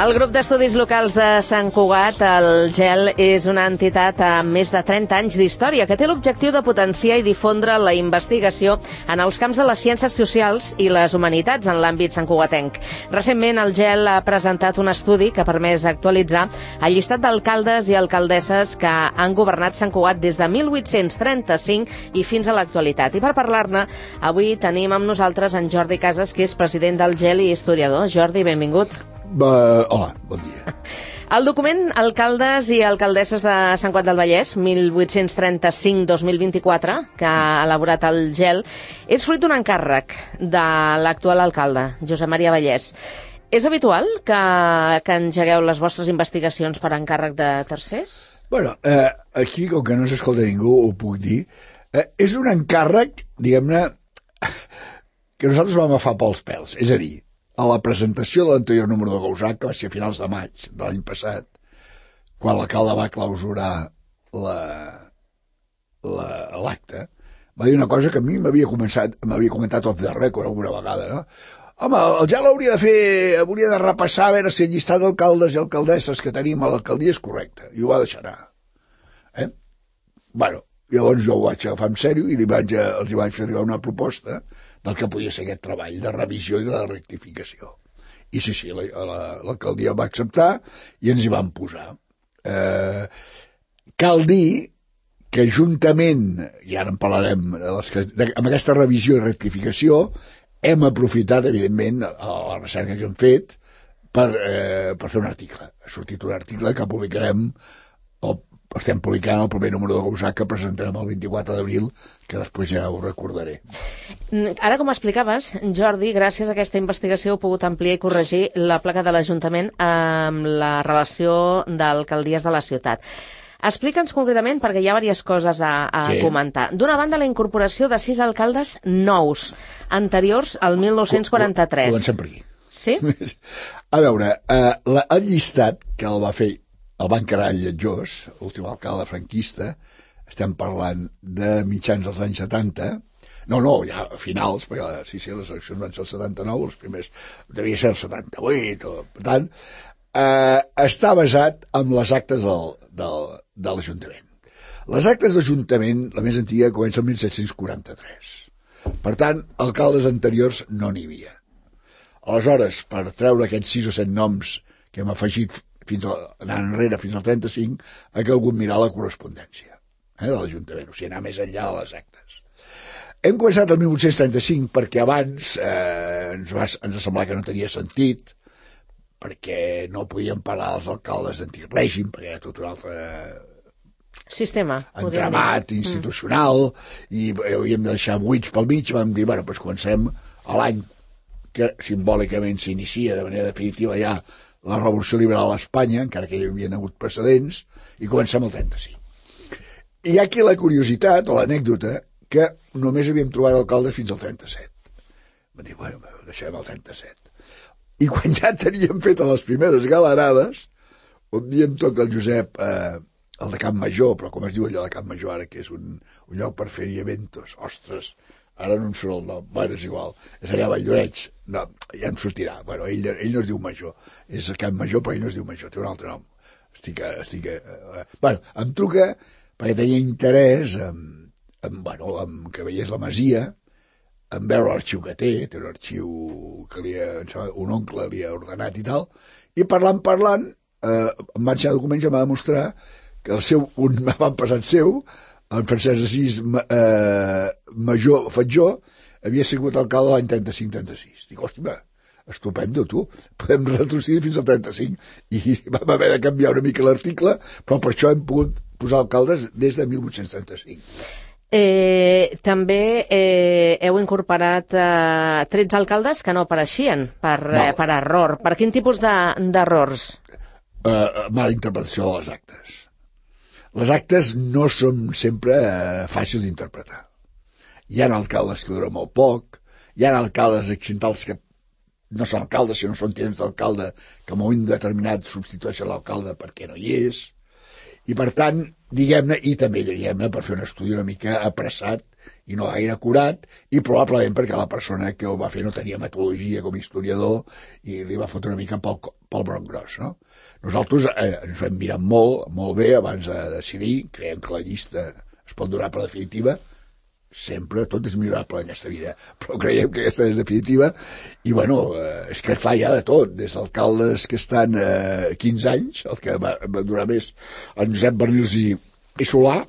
El grup d'estudis locals de Sant Cugat, el GEL, és una entitat amb més de 30 anys d'història que té l'objectiu de potenciar i difondre la investigació en els camps de les ciències socials i les humanitats en l'àmbit santcugatenc. Recentment, el GEL ha presentat un estudi que ha permès actualitzar el llistat d'alcaldes i alcaldesses que han governat Sant Cugat des de 1835 i fins a l'actualitat. I per parlar-ne, avui tenim amb nosaltres en Jordi Casas, que és president del GEL i historiador. Jordi, benvingut. Hola, bon dia. El document Alcaldes i Alcaldesses de Sant Cugat del Vallès, 1835-2024, que ha elaborat el GEL, és fruit d'un encàrrec de l'actual alcalde, Josep Maria Vallès. És habitual que engegueu les vostres investigacions per encàrrec de tercers? Bueno, aquí, com que no s'escolta ningú, ho puc dir. És un encàrrec, diguem-ne, que nosaltres vam agafar pels pèls. És a dir, a la presentació de l'anterior número de Gausac, que va ser a finals de maig de l'any passat, quan l'alcalde va clausurar l'acte, va dir una cosa que a mi m'havia comentat off the record alguna vegada, no? Home, el GEL hauria de repassar a veure si el llistat d'alcaldes i alcaldesses que tenim a l'alcaldia és correcte, i ho va deixar anar. Bueno, llavors jo ho vaig agafar en sèrio i els hi vaig fer arribar una proposta del que podia ser aquest treball de revisió i de rectificació. I sí, l'alcaldia va acceptar i ens hi vam posar. Cal dir que juntament, i ara en parlarem, amb aquesta revisió i rectificació, hem aprofitat, evidentment, la recerca que hem fet per fer un article. Ha sortit un article que publicarem estem publicant el primer número de Gausac que presentarem el 24 d'abril, que després ja ho recordaré. Ara, com explicaves, Jordi, gràcies a aquesta investigació heu pogut ampliar i corregir la placa de l'Ajuntament amb la relació d'alcaldies de la ciutat. Explica'ns concretament, perquè hi ha diverses coses a comentar. D'una banda, la incorporació de 6 alcaldes nous, anteriors al 1943. Comencem per aquí. Sí? A veure, el llistat que el va fer el va encarar el Lletjós, l'últim alcalde franquista, estem parlant de mitjans dels anys 70, no, ja a finals, perquè les eleccions van ser el 79, els primers devia ser el 78, per tant, està basat en les actes de l'Ajuntament. Les actes d'Ajuntament, la més antiga, comença el 1743. Per tant, alcaldes anteriors no n'hi havia. Aleshores, per treure aquests 6 o 7 noms que hem afegit anant enrere fins al 35, ha calgut mirar la correspondència de l'Ajuntament, o sigui, anar més enllà de les actes. Hem començat el 1835 perquè abans ens va semblar que no tenia sentit, perquè no podíem parar els alcaldes d'antic règim, perquè era tot un altre sistema, entramat institucional, i havíem de deixar buits pel mig. Vam dir, bueno, doncs comencem a l'any que simbòlicament s'inicia de manera definitiva ja la Revolució Liberal a Espanya, encara que hi havia hagut precedents, i comencem el 35. I hi ha aquí la curiositat o l'anècdota que només havíem trobat alcaldes fins al 37. Vam dir, bueno, deixem el 37. I quan ja teníem fet les primeres galerades, un dia em toca el Josep, el de Camp Major, però com es diu allò de Camp Major ara, que és un lloc per fer-hi eventos, ostres, ara no em surt el nom, bueno, és igual, és allà a Valldoreix, no, ja em sortirà, bueno, ell no es diu Major, és Camp Major, però ell no es diu Major, té un altre nom, bueno, em truca perquè tenia interès en que veiés la masia, en veure l'arxiu que té un arxiu que un oncle li ha ordenat i tal, i parlant, em va ensenyar documents i em va demostrar que un avantpassat seu, en Francesc Assís Major Fatjó, havia sigut alcalde l'any 35-36. Dic, hòstia, estupendo, tu. Podem retrocedir fins al 35. I vam haver de canviar una mica l'article, però per això hem pogut posar alcaldes des de 1835. També heu incorporat 13 alcaldes que no apareixien per error. Per quin tipus d'errors? Mala interpretació de les actes. Les actes no són sempre fàcils d'interpretar. Hi ha alcaldes que duren molt poc, hi ha alcaldes accidentals que no són alcaldes, sinó són tinents d'alcalde, que en un moment determinat substitueixen l'alcalde perquè no hi és, I per tant, diguem-ne, i també diguem-ne per fer un estudi una mica apressat i no gaire acurat, i probablement perquè la persona que ho va fer no tenia metodologia com a historiador i li va fotre una mica pel broc gros, no? Nosaltres ens ho hem mirat molt bé abans de decidir, creiem que la llista es pot donar per definitiva, sempre tot és millorable en aquesta vida, però creiem que aquesta és definitiva, i bueno, és que clar, hi ha de tot, des d'alcaldes que estan 15 anys, el que va durar més en Josep Bernils i Solà,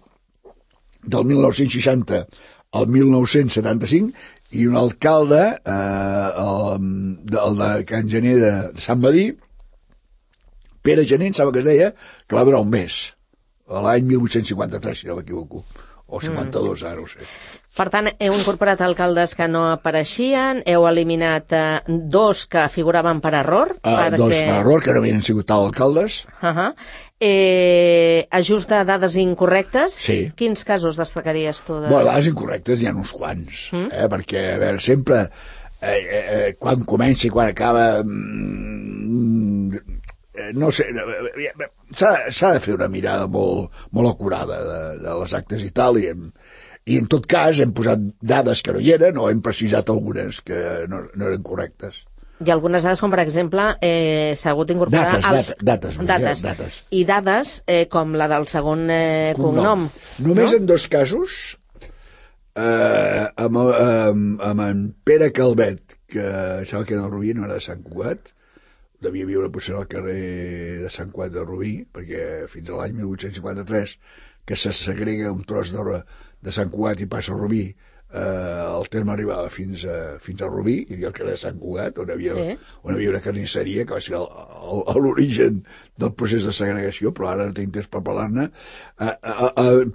del 1960 al 1975, i un alcalde, el de Can Gener de Sant Madí, Pere Gener, em sembla que es deia, que va durar un mes, l'any 1853, si no m'equivoco, o 52, ara ho sé. Per tant, heu incorporat alcaldes que no apareixien, heu eliminat 2 que figuraven per error. 2 per error, que no havien sigut tal alcaldes. Ajust de dades incorrectes. Sí. Quins casos destacaries tu? Bueno, dades incorrectes hi ha uns quants, perquè, a veure, sempre, quan comença i quan acaba, no sé, s'ha de fer una mirada molt acurada de les actes i tal, i en tot cas hem posat dades que no hi eren o hem precisat algunes que no eren correctes. I algunes dades, com per exemple, s'ha hagut d'incorporar... Dates. I dades com la del segon cognom. Només en 2 casos, amb en Pere Calvet, que sembla que era de Rubí, no era de Sant Cugat, devia viure potser al carrer de Sant Cugat de Rubí, perquè fins a l'any 1853, que se segrega un tros de Sant Cugat i passa a Rubí, el terme arribava fins a Rubí, hi havia el carrer de Sant Cugat, on hi havia una carnisseria, que va ser l'origen del procés de segregació, però ara no tinc temps per parlar-ne.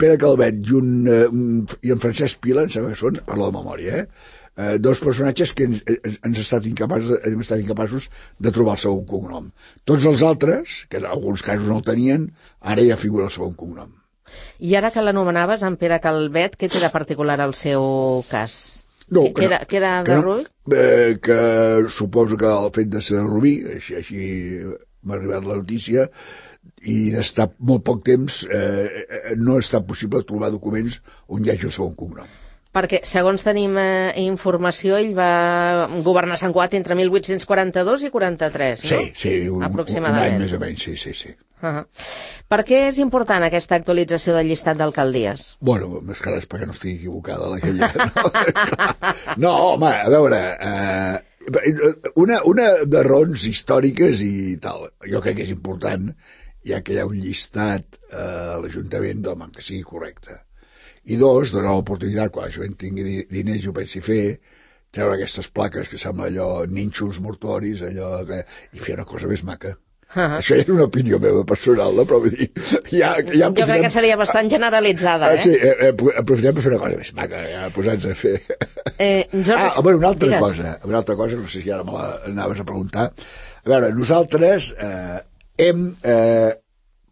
Pere Calvet i en Francesc Pila, em sembla que són, parlo de memòria, 2 personatges que hem estat incapaços de trobar el segon cognom. Tots els altres, que en alguns casos no el tenien, ara ja figura el segon cognom. I ara que l'anomenaves, en Pere Calvet, què té de particular el seu cas? No, que era de Rubí? Que suposo que el fet de ser de Rubí, així m'ha arribat la notícia, i d'estar molt poc temps no ha estat possible trobar documents on hi hagi el segon cognom. Perquè, segons tenim informació, ell va governar Sant Cugat entre 1842 i 43, no? Sí, aproximadament. Un any més o menys, sí. Per què és important aquesta actualització del llistat d'alcaldies? Bueno, més que res perquè no estigui equivocada aquella. No, home, a veure, una de raons històriques i tal, jo crec que és important, ja que hi ha un llistat a l'Ajuntament, home, que sigui correcte. I 2, donar l'oportunitat, quan la gent tingui diners i ho pensi fer, treure aquestes plaques que sembla allò nínxols mortoris, i fer una cosa més maca. Això ja és una opinió meva personal, però vull dir... Jo crec que seria bastant generalitzada, Sí, aprofitem per fer una cosa més maca, posar-nos a fer... Una altra cosa, no sé si ara me l'anaves a preguntar. A veure, nosaltres hem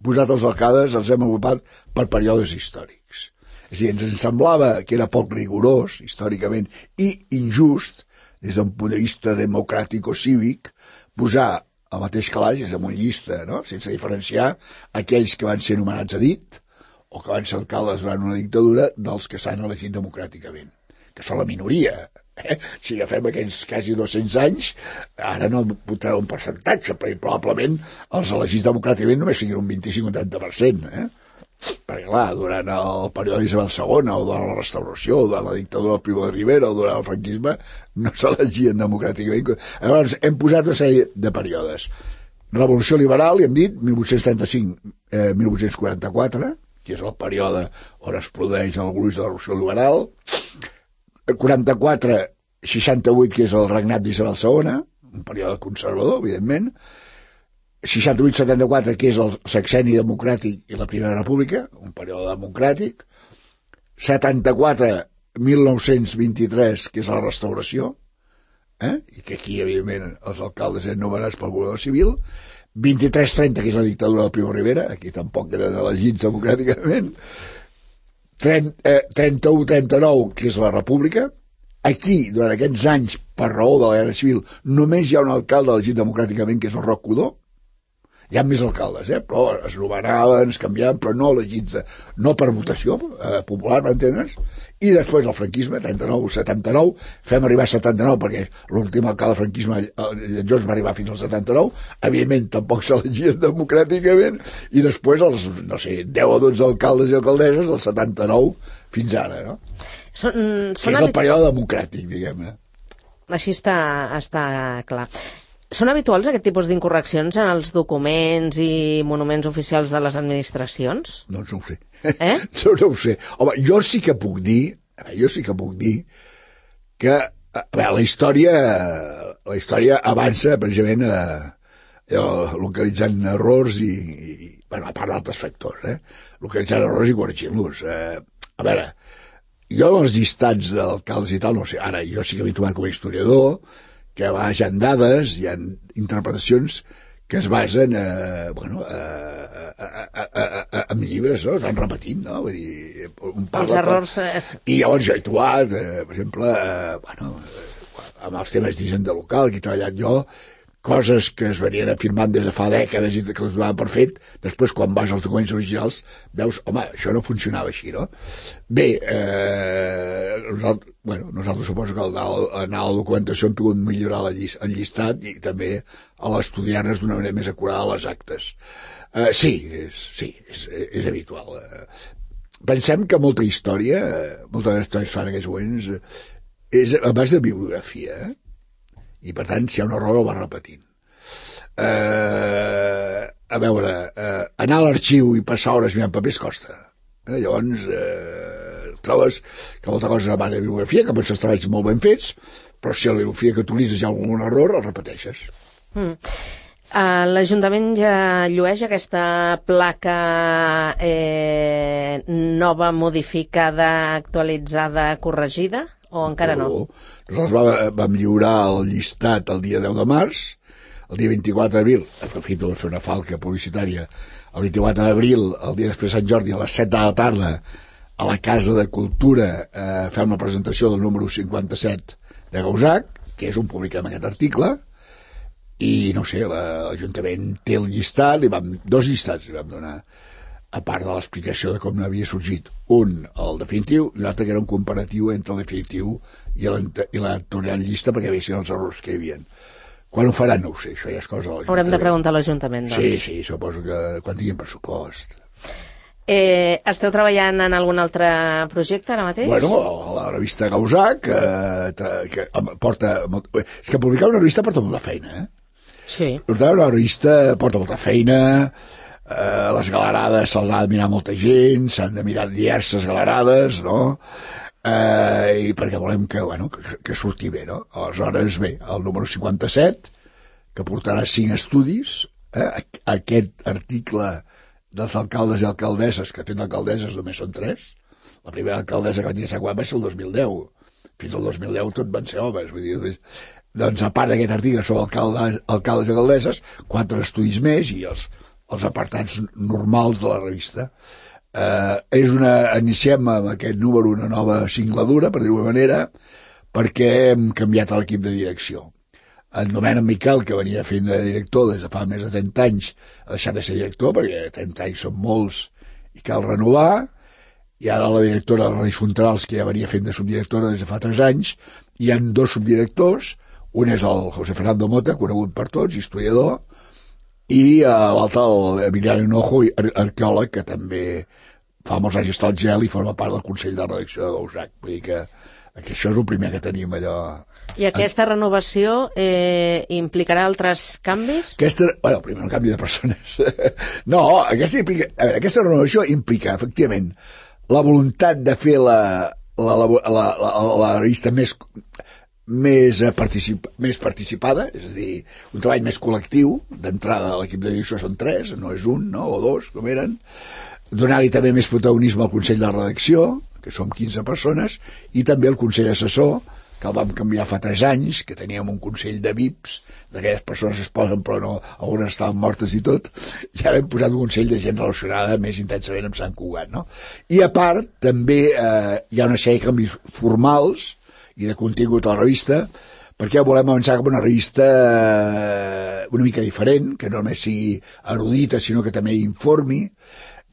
posat els alcaldes, els hem agrupat per períodes històrics. És a dir, ens semblava que era poc rigorós, històricament, i injust, des d'un punt de vista democràtic o cívic, posar al mateix calaix, és en una llista, no?, sense diferenciar aquells que van ser nomenats a dit o que van ser alcaldes durant una dictadura dels que s'han elegit democràticament, que són la minoria. Si agafem aquells quasi 200 anys, ara no podrà un percentatge, però probablement els elegits democràticament només siguin un 25 o 30%, perquè clar, durant el període d'Isabel II o durant la restauració o durant la dictadura del Primo de Rivera o durant el franquisme no s'elegien democràticament. Llavors hem posat una sèrie de períodes. Revolució liberal, i hem dit 1835-1844, que és el període on es produeix el gruix de la revolució liberal, 44-68, que és el regnat d'Isabel II, un període conservador, evidentment, 68-74, que és el sexenni democràtic i la Primera República, un període democràtic, 74-1923, que és la restauració, i que aquí, evidentment, els alcaldes eren nomenats pel govern civil, 23-30, que és la dictadura del Primo Rivera, aquí tampoc eren elegits democràticament, 31-39, que és la República. Aquí, durant aquests anys, per raó de la Guerra Civil, només hi ha un alcalde elegit democràticament, que és el Roc Codó, hi ha més alcaldes, però es nomenaven, es canviaven, però no elegits, no per votació popular, m'entens? I després el franquisme, 39-79, fem arribar a 79, perquè l'últim alcalde del franquisme, Lletjós, va arribar fins al 79, evidentment tampoc s'elegien democràticament, i després els, no sé, 10 o 12 alcaldes i alcaldesses del 79 fins ara, no? Que és el període democràtic, diguem-ne. Així està clar. Són habituals aquest tipus d'incorreccions en els documents i monuments oficials de les administracions? No ho sé. No ho sé. Home, jo sí que puc dir que la història avança precisament localitzant errors i bueno, a part d'altres factors, localitzant errors i corregint-los. A veure, jo els llistats d'alcaldes i tal, no sé, ara jo sí que m'he trobat com a historiador, que hi ha dades, hi ha interpretacions que es basen en llibres, no? Es van repetint, no? Vull dir, els errors... I llavors jo he trobat, per exemple, amb els temes d'hisenda local, que he treballat jo, coses que es venien afirmant des de fa dècades i que les donaven per fet, després quan vas als documents originals veus, home, això no funcionava així, no? Bé, nosaltres suposo que anar a la documentació hem pogut millorar el llistat i també a l'estudiar-nos d'una manera més acurada les actes. Sí, és habitual. Pensem que molta història fan en aquests moments és a base de bibliografia, i per tant si hi ha un error el va repetint. A veure, anar a l'arxiu i passar hores mirant papers costa, llavors trobes que molta cosa és a base de bibliografia, que pots treballs molt ben fets, però si a la bibliografia que utilitzes hi ha algun error el repeteixes. L'Ajuntament ja llueix aquesta placa nova, modificada, actualitzada, corregida? O encara no? Nosaltres vam lliurar el llistat el dia 10 de març, el dia 24 d'abril, aprofito per fer una falca publicitària, el 24 d'abril, el dia després de Sant Jordi, a les 7 de la tarda, a la Casa de Cultura, fem una presentació del número 57 de Gausac, que és on publiquem aquest article, i no sé, l'Ajuntament té el llistat, dos llistats li vam donar, a part de l'explicació de com havia sorgit un, el definitiu, i l'altre que era un comparatiu entre el definitiu i l'actual llista perquè veiessin els errors que hi havia. Quan ho faran no ho sé, això ja és cosa de l'Ajuntament. Haurem de preguntar a l'Ajuntament, doncs. Sí, suposo que quan tinguin pressupost. Esteu treballant en algun altre projecte ara mateix? Bueno, la revista Gausac que porta... És que publicar una revista porta molta feina, Sí. Portar una revista porta molta feina... les galerades se'ls ha de mirar molta gent, s'han de mirar diverses galerades, no? I perquè volem que surti bé, no? Aleshores, bé, el número 57, que portarà 5 estudis, aquest article dels alcaldes i alcaldesses, que fet alcaldesses només són 3, la primera alcaldessa que va tenir a Sant Juan va ser el 2010, fins al 2010 tot van ser homes, vull dir, doncs a part d'aquest article sobre alcaldes i alcaldesses, 4 estudis més i els apartats normals de la revista. Iniciem amb aquest número una nova singladura, per dir-ho manera, perquè hem canviat l'equip de direcció. En Domènec Miquel, que venia fent de director des de fa més de 30 anys, ha deixat de ser director, perquè 30 anys són molts i cal renovar, i ara la directora Reis Fontanals, que ja venia fent de subdirectora des de fa 3 anys, hi ha 2 subdirectors, un és el José Fernando Mota, conegut per tots, historiador, i l'altre, l'Emiliano Hinojo, arqueòleg, que també fa molts anys està al gel i forma part del Consell de Redacció de Gausac. Vull dir que això és el primer que tenim allò... I aquesta renovació implicarà altres canvis? Primer un canvi de persones. No, aquesta renovació implica, efectivament, la voluntat de fer la revista més participada, és a dir, un treball més col·lectiu. D'entrada l'equip de direcció són 3, no és un, no? O 2, com eren. Donar-hi també més protagonisme al Consell de Redacció, que som 15 persones, i també al Consell Assessor, que el vam canviar fa 3 anys, que teníem un consell de VIPs, d'aquelles persones que es posen però no, algunes estaven mortes i tot, i ara hem posat un consell de gent relacionada més intensament amb Sant Cugat, no? I a part, també hi ha una sèrie de canvis formals i de contingut a la revista, perquè volem avançar com una revista una mica diferent, que no només sigui erudita, sinó que també informi,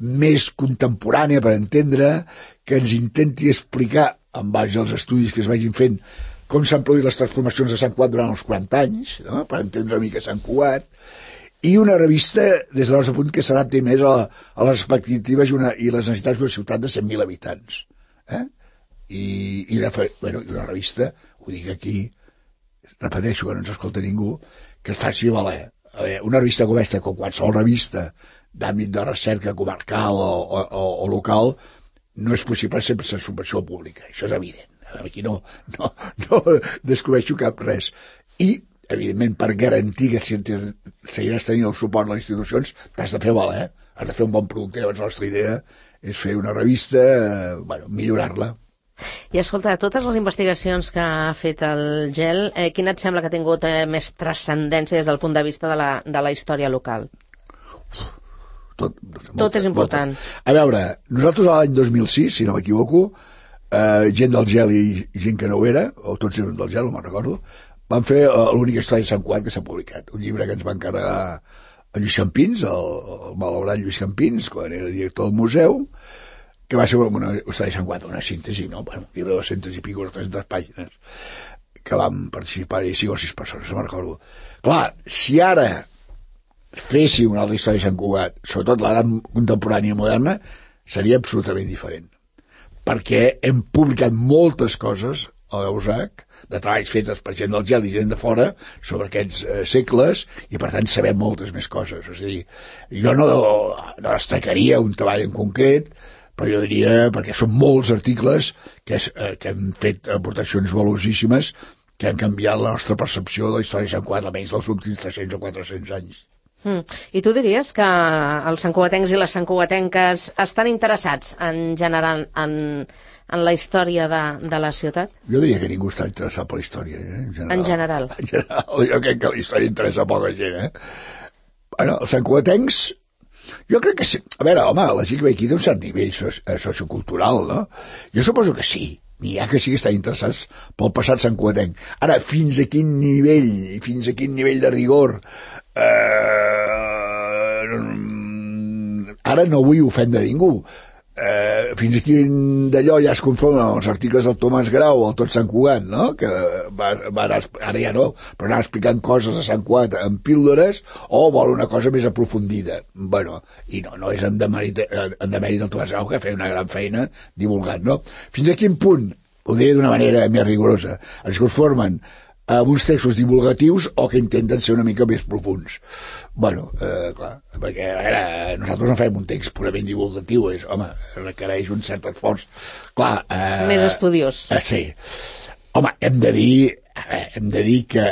més contemporània per entendre, que ens intenti explicar, en base als estudis que es vagin fent, com s'han produït les transformacions de Sant Cugat durant els 40 anys, no? Per entendre una mica Sant Cugat, i una revista, des del nostre punt, que s'adapti més a les expectatives i les necessitats d'una ciutat de 100.000 habitants. I una revista, ho dic aquí, repeteixo que no ens escolta ningú, que es faci valer. Una revista com aquesta, com qualsevol revista d'àmbit de recerca comarcal o local, no és possible sempre sense subvenció pública, això és evident. Aquí no descobreixo cap res. I, evidentment, per garantir que seguiràs tenint el suport de les institucions, t'has de fer valer, has de fer un bon producte. Llavors la nostra idea és fer una revista, millorar-la. I escolta, de totes les investigacions que ha fet el GEL, quina et sembla que ha tingut més transcendència des del punt de vista de la història local? Tot és important. A veure, nosaltres l'any 2006, si no m'equivoco, gent del GEL i gent que no ho era, o tots eren del GEL, no me'n recordo, van fer l'única història de Sant Cugat que s'ha publicat, un llibre que ens va encarregar a Lluís Campins, el malaurat Lluís Campins, quan era director del museu, que va ser una història de Sant Cugat, una síntesi, no? Un llibre de 200 i pico, 300 pàgines, que vam participar-hi 5 o 6 persones, no me'n recordo. Clar, si ara féssim una altra història de Sant Cugat, sobretot l'edat contemporània moderna, seria absolutament diferent. Perquè hem publicat moltes coses a l'EUSAC, de treballs fetes per gent del GEL i gent de fora sobre aquests segles, i per tant sabem moltes més coses. És a dir, jo no destacaria un treball en concret, però jo diria, perquè són molts articles que hem fet aportacions valuosíssimes que han canviat la nostra percepció de la història de Sant Cugat, almenys dels últims 300 o 400 anys. I tu diries que els santcugatencs i les santcugatenques estan interessats en general en la història de la ciutat? Jo diria que ningú està interessat per la història, En general. En general, jo crec que la història interessa a poca gent, Bueno, els santcugatencs, jo crec que sí. A veure, home, la gent que ve aquí té un cert nivell sociocultural, no? Jo suposo que sí. N'hi ha que sí que estan interessats pel passat santcugatenc. Ara, fins a quin nivell de rigor... ara no vull ofendre ningú. Fins a quin d'allò ja es conformen amb els articles del Tomàs Grau o el Tot Sant Cugat, no? Que va anar, ara ja no, però anar explicant coses de Sant Cugat en píldores, o vol una cosa més aprofundida. Bueno, i no és en demèrit del Tomàs Grau, que feia una gran feina divulgant, no? Fins a quin punt, ho diré d'una manera més rigorosa, es conformen amb uns textos divulgatius o que intenten ser una mica més profuns. Bueno, clar, perquè a veure, nosaltres no fem un text purament divulgatiu, requereix un cert esforç. Clar, més estudiós. Sí. Home, hem de dir que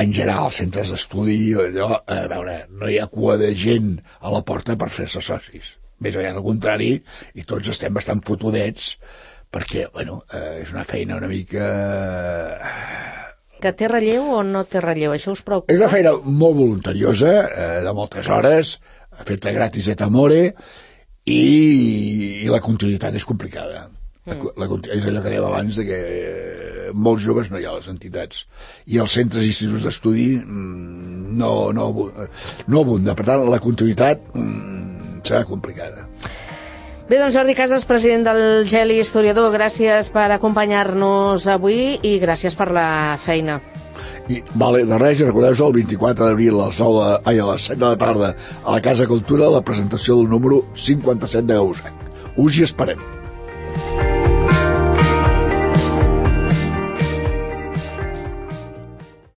en general als centres d'estudi, allò, a veure, no hi ha cua de gent a la porta per fer-se socis. Més aviat al contrari, i tots estem bastant fotudets, perquè, bueno, és una feina una mica... Que té relleu o no té relleu? Això us preocupa? És una feina molt voluntariosa, de moltes hores, feta gratis et amore, i la continuïtat és complicada. És allò que dèiem abans, de que molts joves no hi ha a les entitats. I els centres i instituts d'estudi no abunda. Per tant, la continuïtat serà complicada. Bé, doncs Jordi Casas, president del GEL i historiador, gràcies per acompanyar-nos avui i gràcies per la feina. Vale, de res, recordeu-vos el 24 d'abril a les 7 de la tarda a la Casa Cultura la presentació del número 57 d'EUSAC. Us hi esperem.